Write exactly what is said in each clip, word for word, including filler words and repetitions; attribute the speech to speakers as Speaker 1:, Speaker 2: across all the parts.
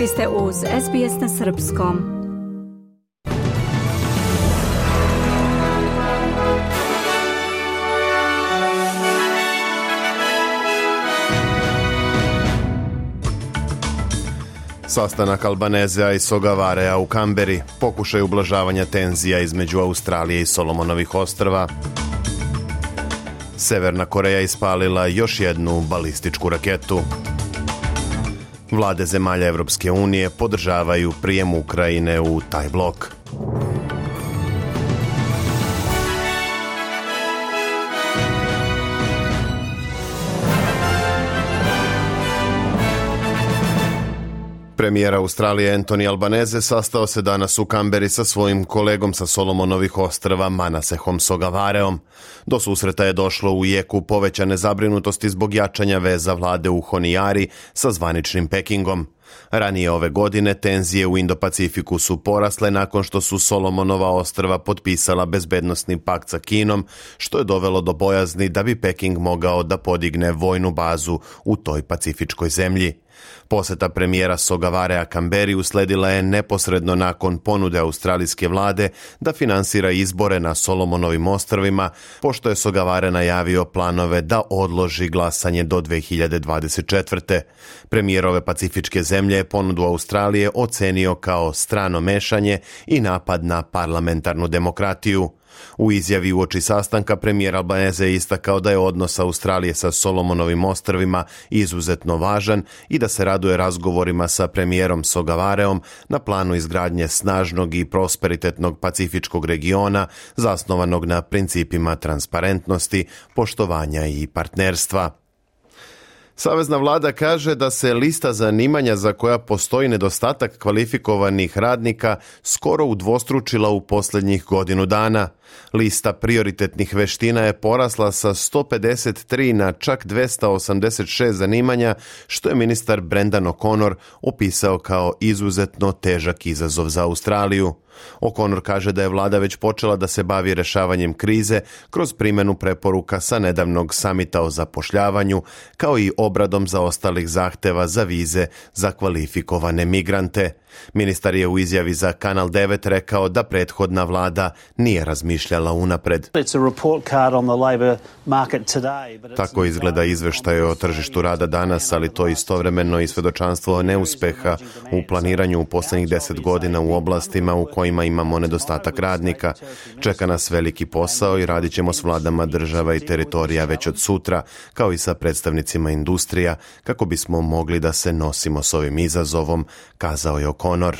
Speaker 1: Vi ste uz S B S na srpskom.
Speaker 2: Sastanak Albanezea i Sogavarea u Kamberi, pokušaj ublažavanja tenzija između Australije i Solomonovih ostrva. Severna Koreja ispalila još jednu balističku raketu. Vlade zemalja Evropske unije podržavaju prijem Ukrajine u taj blok. Premijer Australije Anthony Albanese sastao se danas u Kamberi sa svojim kolegom sa Solomonovih ostrva Manasehom Sogavareom. Do susreta je došlo u jeku povećane zabrinutosti zbog jačanja veza vlade u Honiari sa zvaničnim Pekingom. Ranije ove godine tenzije u Indo-Pacifiku su porasle nakon što su Solomonova ostrva potpisala bezbednosni pakt sa Kinom, što je dovelo do bojazni da bi Peking mogao da podigne vojnu bazu u toj pacifičkoj zemlji. Poseta premijera Sogavarea Kamberi usledila je neposredno nakon ponude australijske vlade da finansira izbore na Solomonovim ostrvima, pošto je Sogavare najavio planove da odloži glasanje do dve hiljade dvadeset četvrte. Premijer ove pacifičke zemlje je ponudu Australije ocenio kao strano mešanje i napad na parlamentarnu demokratiju. U izjavi uoči sastanka premijer Albanese je istakao da je odnos Australije sa Solomonovim ostrvima izuzetno važan i da se raduje razgovorima sa premijerom Sogavareom na planu izgradnje snažnog i prosperitetnog pacifičkog regiona zasnovanog na principima transparentnosti, poštovanja i partnerstva. Savezna vlada kaže da se lista zanimanja za koja postoji nedostatak kvalifikovanih radnika skoro udvostručila u posljednjih godinu dana. Lista prioritetnih veština je porasla sa sto pedeset tri na čak dvesta osamdeset šest zanimanja, što je ministar Brendan O'Connor opisao kao izuzetno težak izazov za Australiju. O'Connor kaže da je vlada već počela da se bavi rešavanjem krize kroz primjenu preporuka sa nedavnog samita o zapošljavanju, kao i obradom zaostalih zahteva za vize za kvalifikovane migrante. Ministar je u izjavi za Kanal devet rekao da prethodna vlada nije razmišljala unapred. Tako izgleda izveštaj o tržištu rada danas, ali to istovremeno i svedočanstvo neuspeha u planiranju u posljednjih deset godina u oblastima u kojima imamo nedostatak radnika. Čeka nas veliki posao i radit ćemo s vladama država i teritorija već od sutra, kao i sa predstavnicima industrija, kako bismo mogli da se nosimo s ovim izazovom, kazao je O'Connor.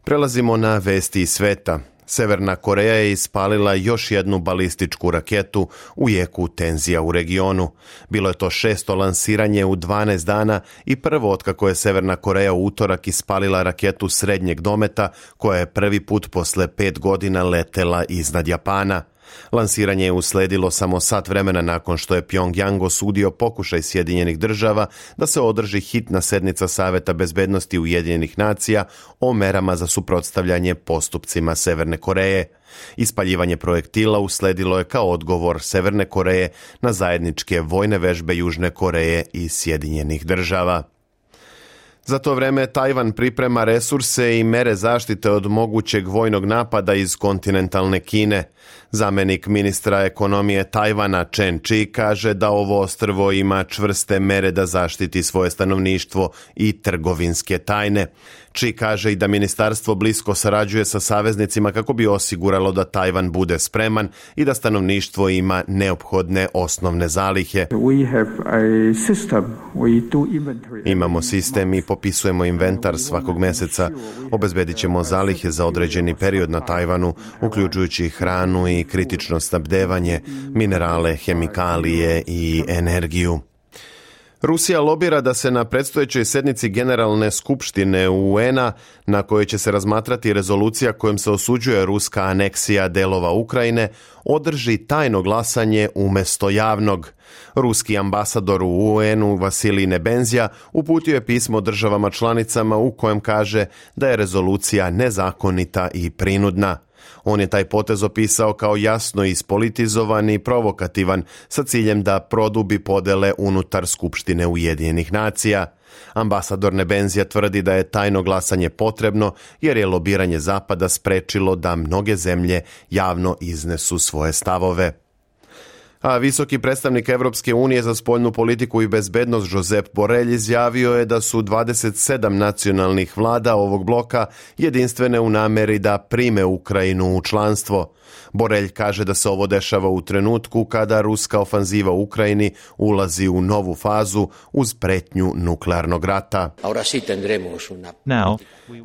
Speaker 2: Prelazimo na vesti iz sveta. Severna Koreja je ispalila još jednu balističku raketu u jeku tenzija u regionu. Bilo je to šesto lansiranje u dvanaest dana i prvo otkako je Severna Koreja u utorak ispalila raketu srednjeg dometa koja je prvi put posle pet godina letela iznad Japana. Lansiranje je usledilo samo sat vremena nakon što je Pyongyang osudio pokušaj Sjedinjenih država da se održi hitna sednica Saveta bezbednosti Ujedinjenih nacija o merama za suprotstavljanje postupcima Severne Koreje. Ispaljivanje projektila usledilo je kao odgovor Severne Koreje na zajedničke vojne vežbe Južne Koreje i Sjedinjenih država. Za to vreme Tajvan priprema resurse i mere zaštite od mogućeg vojnog napada iz kontinentalne Kine. Zamenik ministra ekonomije Tajvana Chen Chi kaže da ovo ostrvo ima čvrste mere da zaštiti svoje stanovništvo i trgovinske tajne. Chi kaže i da ministarstvo blisko sarađuje sa saveznicima kako bi osiguralo da Tajvan bude spreman i da stanovništvo ima neophodne osnovne zalihe. Imamo sistem i popisujemo inventar svakog meseca. Obezbedit ćemo zalihe za određeni period na Tajvanu, uključujući hranu i kritično snabdevanje, minerale, hemikalije i energiju. Rusija lobira da se na predstojećoj sednici Generalne skupštine U N-a, na kojoj će se razmatrati rezolucija kojom se osuđuje ruska aneksija delova Ukrajine, održi tajno glasanje umjesto javnog. Ruski ambasador u U N-u Vasilij Nebenzija uputio je pismo državama članicama u kojem kaže da je rezolucija nezakonita i prinudna. On je taj potez opisao kao jasno ispolitizovan i provokativan sa ciljem da produbi podele unutar Skupštine Ujedinjenih nacija. Ambasador Nebenzija tvrdi da je tajno glasanje potrebno jer je lobiranje Zapada sprečilo da mnoge zemlje javno iznesu svoje stavove. A visoki predstavnik Evropske unije za spoljnu politiku i bezbednost Josep Borrell izjavio je da su dvadeset sedam nacionalnih vlada ovog bloka jedinstvene u nameri da prime Ukrajinu u članstvo. Borrell kaže da se ovo dešava u trenutku kada ruska ofanziva u Ukrajini ulazi u novu fazu uz pretnju nuklearnog rata.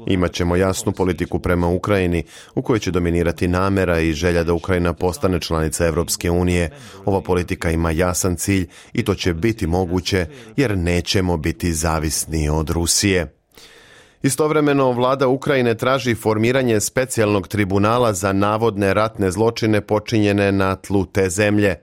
Speaker 2: Imaćemo jasnu politiku prema Ukrajini u kojoj će dominirati namera i želja da Ukrajina postane članica Evropske unije. Ova politika ima jasan cilj i to će biti moguće jer nećemo biti zavisni od Rusije. Istovremeno, vlada Ukrajine traži formiranje specijalnog tribunala za navodne ratne zločine počinjene na tlu te zemlje.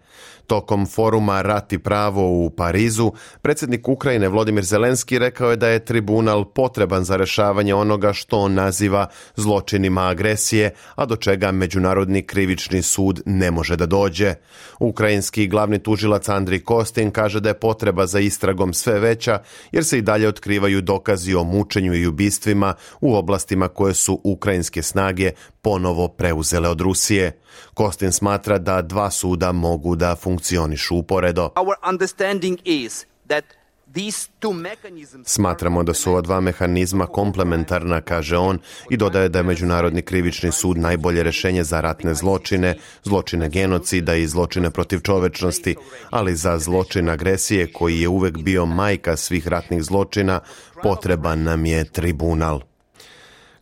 Speaker 2: Tokom foruma Rat i pravo u Parizu, predsjednik Ukrajine Volodymyr Zelenski rekao je da je tribunal potreban za rešavanje onoga što on naziva zločinima agresije, a do čega Međunarodni krivični sud ne može da dođe. Ukrajinski glavni tužilac Andrij Kostin kaže da je potreba za istragom sve veća, jer se i dalje otkrivaju dokazi o mučenju i ubistvima u oblastima koje su ukrajinske snage ponovo preuzele od Rusije. Kostin smatra da dva suda mogu da funkcionišu uporedo. Smatramo da su ova dva mehanizma komplementarna, kaže on, i dodaje da je Međunarodni krivični sud najbolje rešenje za ratne zločine, zločine genocida i zločine protiv čovečnosti, ali za zločin agresije, koji je uvek bio majka svih ratnih zločina, potreban nam je tribunal.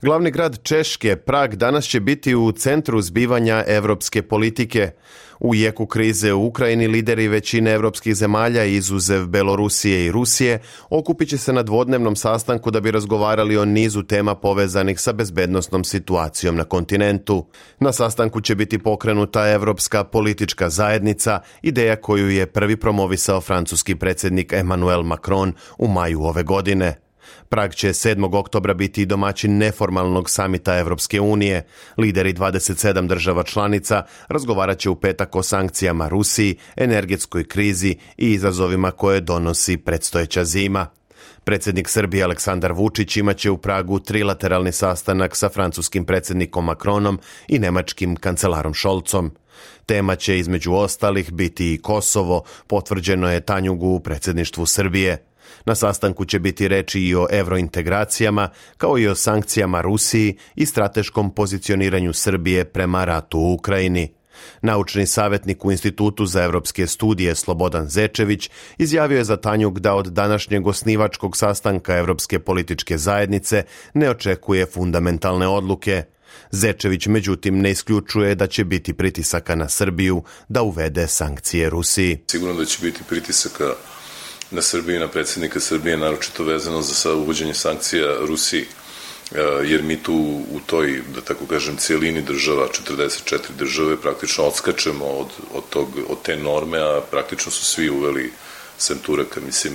Speaker 2: Glavni grad Češke, Prag, danas će biti u centru zbivanja evropske politike. U jeku krize u Ukrajini lideri većine evropskih zemalja, izuzev Belorusije i Rusije, okupit će se na dvodnevnom sastanku da bi razgovarali o nizu tema povezanih sa bezbednosnom situacijom na kontinentu. Na sastanku će biti pokrenuta Evropska politička zajednica, ideja koju je prvi promovisao francuski predsjednik Emmanuel Macron u maju ove godine. Prag će sedmog oktobra biti domaćin neformalnog samita Evropske unije. Lideri dvadeset sedam država članica razgovarat će u petak o sankcijama Rusiji, energetskoj krizi i izazovima koje donosi predstojeća zima. Predsjednik Srbije Aleksandar Vučić imaće u Pragu trilateralni sastanak sa francuskim predsjednikom Macronom i nemačkim kancelarom Scholzom. Tema će između ostalih biti i Kosovo, potvrđeno je Tanjugu u predsjedništvu Srbije. Na sastanku će biti reči i o evrointegracijama, kao i o sankcijama Rusiji i strateškom pozicioniranju Srbije prema ratu u Ukrajini. Naučni savjetnik u Institutu za evropske studije Slobodan Zečević izjavio je za Tanjug da od današnjeg osnivačkog sastanka Evropske političke zajednice ne očekuje fundamentalne odluke. Zečević međutim ne isključuje da će biti pritisaka na Srbiju da uvede sankcije Rusiji.
Speaker 3: Sigurno da će biti pritisaka na Srbiju i na predsjednika Srbije, naročito vezano za uvođenje sankcija Rusiji, jer mi tu u toj, da tako kažem, cijelini država, četrdeset četiri države, praktično odskačemo od, od, tog, od te norme, a praktično su svi uveli, sem Turaka, mislim,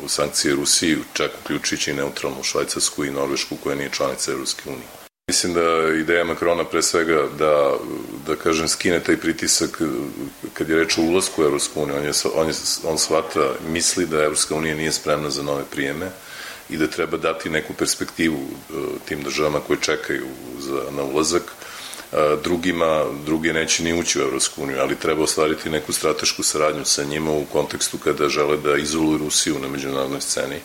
Speaker 3: sankcije Rusiji, čak uključujući i neutralnu Švajcarsku i Norvešku, koja nije članica Evropske unije. Mislim da ideja Makrona pre svega da, da kažem, skine taj pritisak kad je reč o ulasku u Evropsku uniju. On, je, on, je, on shvata, misli da Evropska unija nije spremna za nove prijeme i da treba dati neku perspektivu tim državama koje čekaju za, na ulazak. Drugima, drugi neće ni ući u Evropsku uniju, ali treba ostvariti neku stratešku saradnju sa njima u kontekstu kada žele da izoluju Rusiju na međunarodnoj sceni.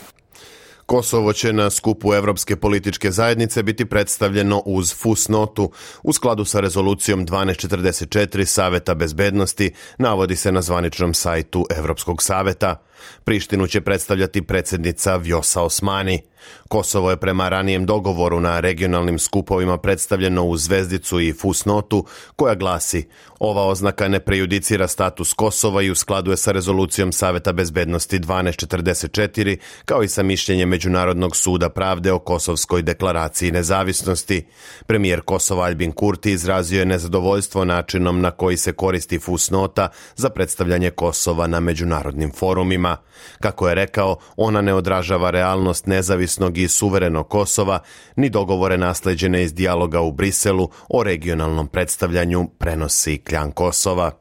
Speaker 2: Kosovo će na skupu Evropske političke zajednice biti predstavljeno uz fusnotu u skladu sa rezolucijom dvanaest četrdeset četiri Saveta bezbednosti, navodi se na zvaničnom sajtu Evropskog saveta. Prištinu će predstavljati predsjednica Vjosa Osmani. Kosovo je prema ranijem dogovoru na regionalnim skupovima predstavljeno u zvezdicu i fusnotu koja glasi: ova oznaka ne prejudicira status Kosova i u skladu je sa rezolucijom Saveta bezbednosti dvanaest četrdeset četiri kao i sa mišljenjem Međunarodnog suda pravde o Kosovskoj deklaraciji nezavisnosti. Premijer Kosova Albin Kurti izrazio je nezadovoljstvo načinom na koji se koristi fusnota za predstavljanje Kosova na međunarodnim forumima. Kako je rekao, ona ne odražava realnost nezavisnog i suverenog Kosova, ni dogovore nasleđene iz dijaloga u Briselu o regionalnom predstavljanju, prenosi Kljan Kosova.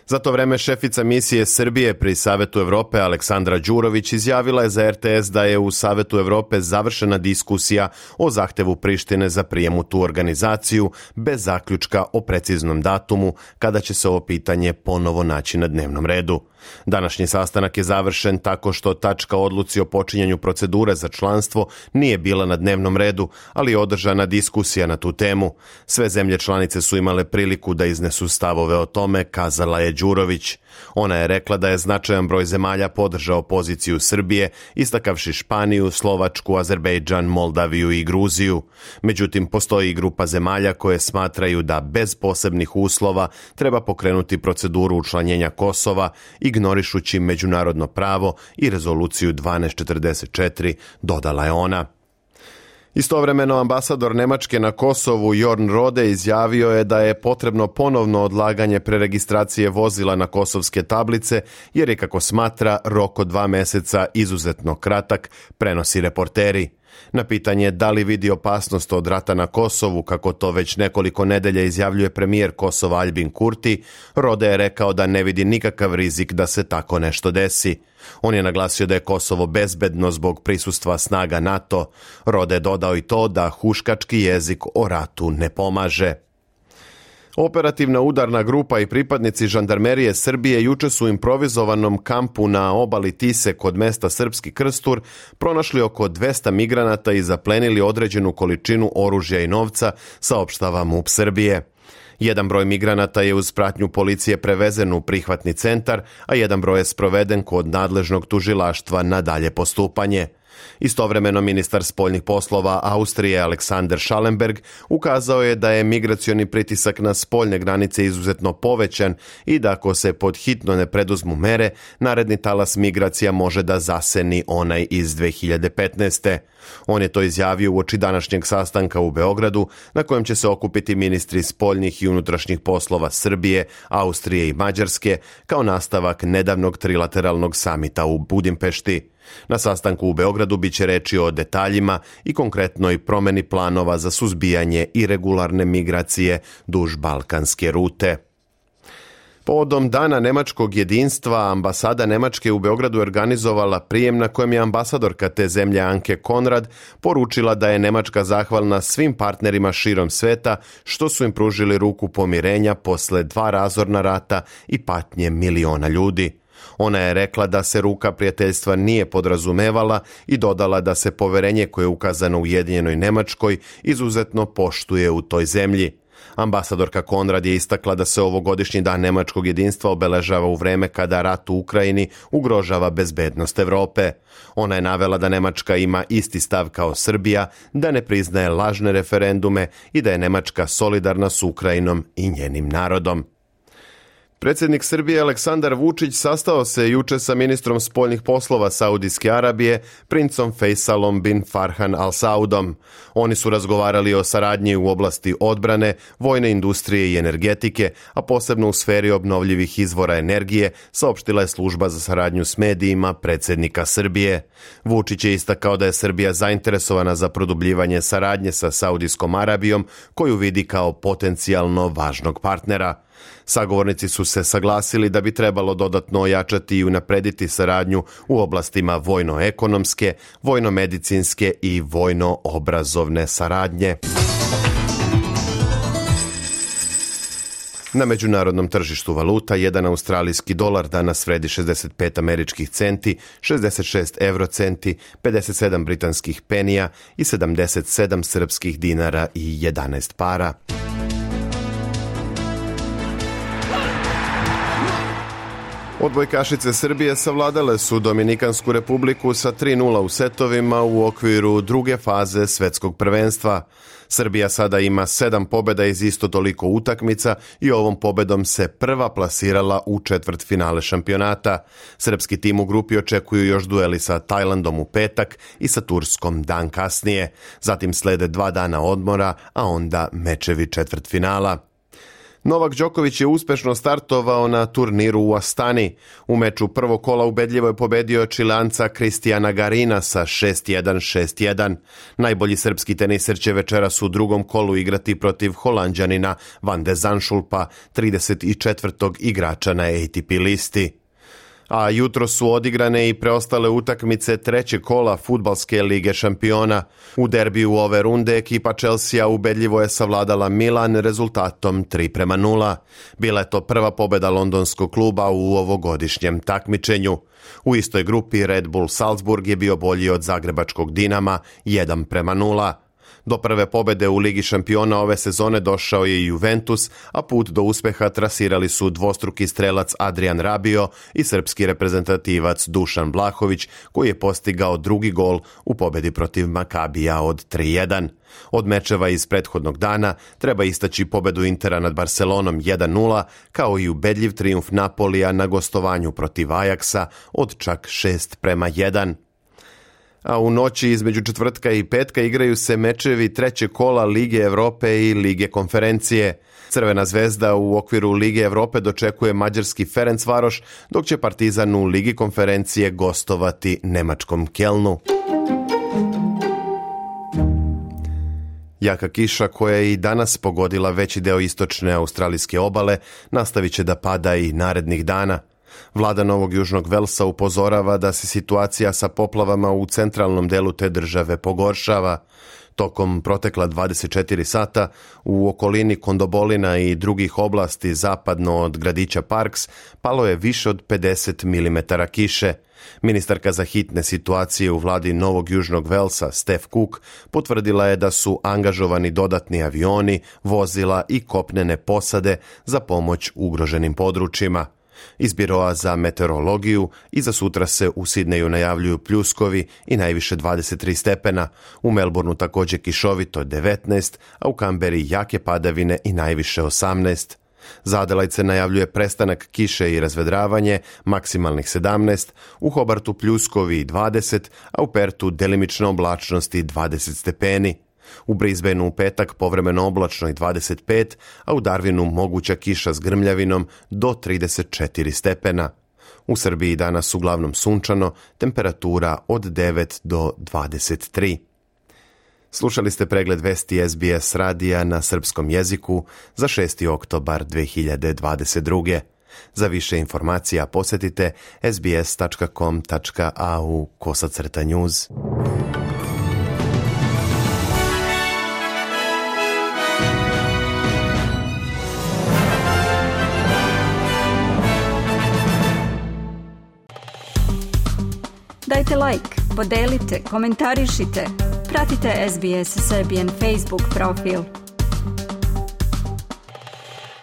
Speaker 2: Za to vreme šefica misije Srbije pri Savetu Evrope Aleksandra Đurović izjavila je za er te es da je u Savetu Evrope završena diskusija o zahtevu Prištine za prijem u tu organizaciju bez zaključka o preciznom datumu kada će se ovo pitanje ponovo naći na dnevnom redu. Današnji sastanak je završen tako što tačka o odluci o počinjanju procedure za članstvo nije bila na dnevnom redu, ali je održana diskusija na tu temu. Sve zemlje članice su imale priliku da iznesu stavove o tome, kazala je Đurović. Ona je rekla da je značajan broj zemalja podržao poziciju Srbije, istakavši Španiju, Slovačku, Azerbejdžan, Moldaviju i Gruziju. Međutim, postoji i grupa zemalja koje smatraju da bez posebnih uslova treba pokrenuti proceduru učlanjenja Kosova, ignorišući međunarodno pravo i rezoluciju dvanaest četrdeset četiri, dodala je ona. Istovremeno ambasador Nemačke na Kosovu Jorn Rode izjavio je da je potrebno ponovno odlaganje preregistracije vozila na kosovske tablice jer je, kako smatra, rok od dva meseca izuzetno kratak, prenosi Reporteri. Na pitanje da li vidi opasnost od rata na Kosovu, kako to već nekoliko nedelja izjavljuje premijer Kosova Aljbin Kurti, Rode je rekao da ne vidi nikakav rizik da se tako nešto desi. On je naglasio da je Kosovo bezbedno zbog prisustva snaga NATO. Rode je dodao i to da huškački jezik o ratu ne pomaže. Operativna udarna grupa i pripadnici žandarmerije Srbije juče su u improvizovanom kampu na obali Tise kod mesta Srpski Krstur pronašli oko dvesta migranata i zaplenili određenu količinu oružja i novca, saopštava MUP Srbije. Jedan broj migranata je uz pratnju policije prevezen u prihvatni centar, a jedan broj je sproveden kod nadležnog tužilaštva na dalje postupanje. Istovremeno ministar spoljnih poslova Austrije Alexander Schallenberg ukazao je da je migracioni pritisak na spoljne granice izuzetno povećan i da ako se pod hitno ne preduzmu mere, naredni talas migracija može da zaseni onaj iz dve hiljade petnaeste. On je to izjavio uoči današnjeg sastanka u Beogradu, na kojem će se okupiti ministri spoljnih i unutrašnjih poslova Srbije, Austrije i Mađarske, kao nastavak nedavnog trilateralnog samita u Budimpešti. Na sastanku u Beogradu biće reči o detaljima i konkretnoj promeni planova za suzbijanje irregularne migracije duž balkanske rute. Povodom Dana nemačkog jedinstva, ambasada Nemačke u Beogradu organizovala prijem na kojem je ambasadorka te zemlje Anke Konrad poručila da je Nemačka zahvalna svim partnerima širom sveta što su im pružili ruku pomirenja posle dva razorna rata i patnje miliona ljudi. Ona je rekla da se ruka prijateljstva nije podrazumevala i dodala da se poverenje koje je ukazano Ujedinjenoj Nemačkoj izuzetno poštuje u toj zemlji. Ambasadorka Konrad je istakla da se ovogodišnji dan nemačkog jedinstva obeležava u vreme kada rat u Ukrajini ugrožava bezbednost Evrope. Ona je navela da Nemačka ima isti stav kao Srbija, da ne priznaje lažne referendume i da je Nemačka solidarna s Ukrajinom i njenim narodom. Predsjednik Srbije Aleksandar Vučić sastao se juče sa ministrom spoljnih poslova Saudijske Arabije, princom Fejsalom bin Farhan Al Saudom. Oni su razgovarali o saradnji u oblasti odbrane, vojne industrije i energetike, a posebno u sferi obnovljivih izvora energije, saopštila je služba za saradnju s medijima predsjednika Srbije. Vučić je istakao da je Srbija zainteresovana za produbljivanje saradnje sa Saudijskom Arabijom, koju vidi kao potencijalno važnog partnera. Sagovornici su se saglasili da bi trebalo dodatno ojačati i unaprediti saradnju u oblastima vojno-ekonomske, vojno-medicinske i vojno-obrazovne saradnje. Na međunarodnom tržištu valuta jedan australijski dolar danas vredi šezdeset pet američkih centi, šezdeset šest evrocenti, pedeset sedam britanskih penija i sedamdeset sedam srpskih dinara i jedanaest para. Odbojkašice Srbije savladale su Dominikansku republiku sa tri nula u setovima u okviru druge faze svetskog prvenstva. Srbija sada ima sedam pobjeda iz isto toliko utakmica i ovom pobedom se prva plasirala u četvrtfinale šampionata. Srpski tim u grupi očekuju još dueli sa Tajlandom u petak i sa Turskom dan kasnije. Zatim slede dva dana odmora, a onda mečevi četvrtfinala. Novak Đoković je uspešno startovao na turniru u Astani. U meču prvog kola ubedljivo je pobedio Čileanca Kristijana Garina sa šest jedan šest jedan. Najbolji srpski teniser će večeras u drugom kolu igrati protiv Holanđanina Van de Zandschulpa, trideset četvrtog igrača na A T P listi. A jutro su odigrane i preostale utakmice trećeg kola Fudbalske lige šampiona. U derbiju ove runde ekipa Chelsea ubedljivo je savladala Milan rezultatom tri prema nula. Bila je to prva pobeda londonskog kluba u ovogodišnjem takmičenju. U istoj grupi Red Bull Salzburg je bio bolji od zagrebačkog Dinama jedan prema nula. Do prve pobede u Ligi šampiona ove sezone došao je Juventus, a put do uspeha trasirali su dvostruki strelac Adrian Rabiot i srpski reprezentativac Dušan Vlahović, koji je postigao drugi gol u pobedi protiv Makabija od tri jedan. Od mečeva iz prethodnog dana treba istaći pobedu Intera nad Barcelonom jedan nula, kao i ubedljiv trijumf Napolija na gostovanju protiv Ajaksa od čak šest prema jedan. A u noći između četvrtka i petka igraju se mečevi trećeg kola Lige Evrope i Lige konferencije. Crvena zvezda u okviru Lige Evrope dočekuje mađarski Ferencvaroš, dok će Partizan u Ligi konferencije gostovati nemačkom Kelnu. Jaka kiša koja je i danas pogodila veći deo istočne australijske obale nastavit će da pada i narednih dana. Vlada Novog Južnog Velsa upozorava da se situacija sa poplavama u centralnom delu te države pogoršava. Tokom protekla dvadeset četiri sata u okolini Kondobolina i drugih oblasti zapadno od gradića Parks palo je više od pedeset milimetara kiše. Ministarka za hitne situacije u vladi Novog Južnog Velsa, Steph Cook, potvrdila je da su angažovani dodatni avioni, vozila i kopnene posade za pomoć ugroženim područjima. Iz Biroa za meteorologiju i za sutra se u Sidneju najavljuju pljuskovi i najviše dvadeset tri stepena, u Melbourneu također kišovito devetnaest, a u Kamberi jake padavine i najviše osamnaest. Za Adelaide se najavljuje prestanak kiše i razvedravanje, maksimalnih sedamnaest, u Hobartu pljuskovi dvadeset, a u Pertu delimična oblačnost i dvadeset stepeni. U Brisbaneu u petak povremeno oblačno i dvadeset pet, a u Darwinu moguća kiša s grmljavinom do trideset četiri stepena. U Srbiji danas uglavnom sunčano, temperatura od devet do dvadeset tri. Slušali ste pregled vesti S B S radija na srpskom jeziku za šesti oktobar dve hiljade dvadeset druge. Za više informacija posjetite s b s tačka com tačka a u kosacrta news.
Speaker 1: Dajte like, podelite, komentarišite, pratite S B S Serbian Facebook profil.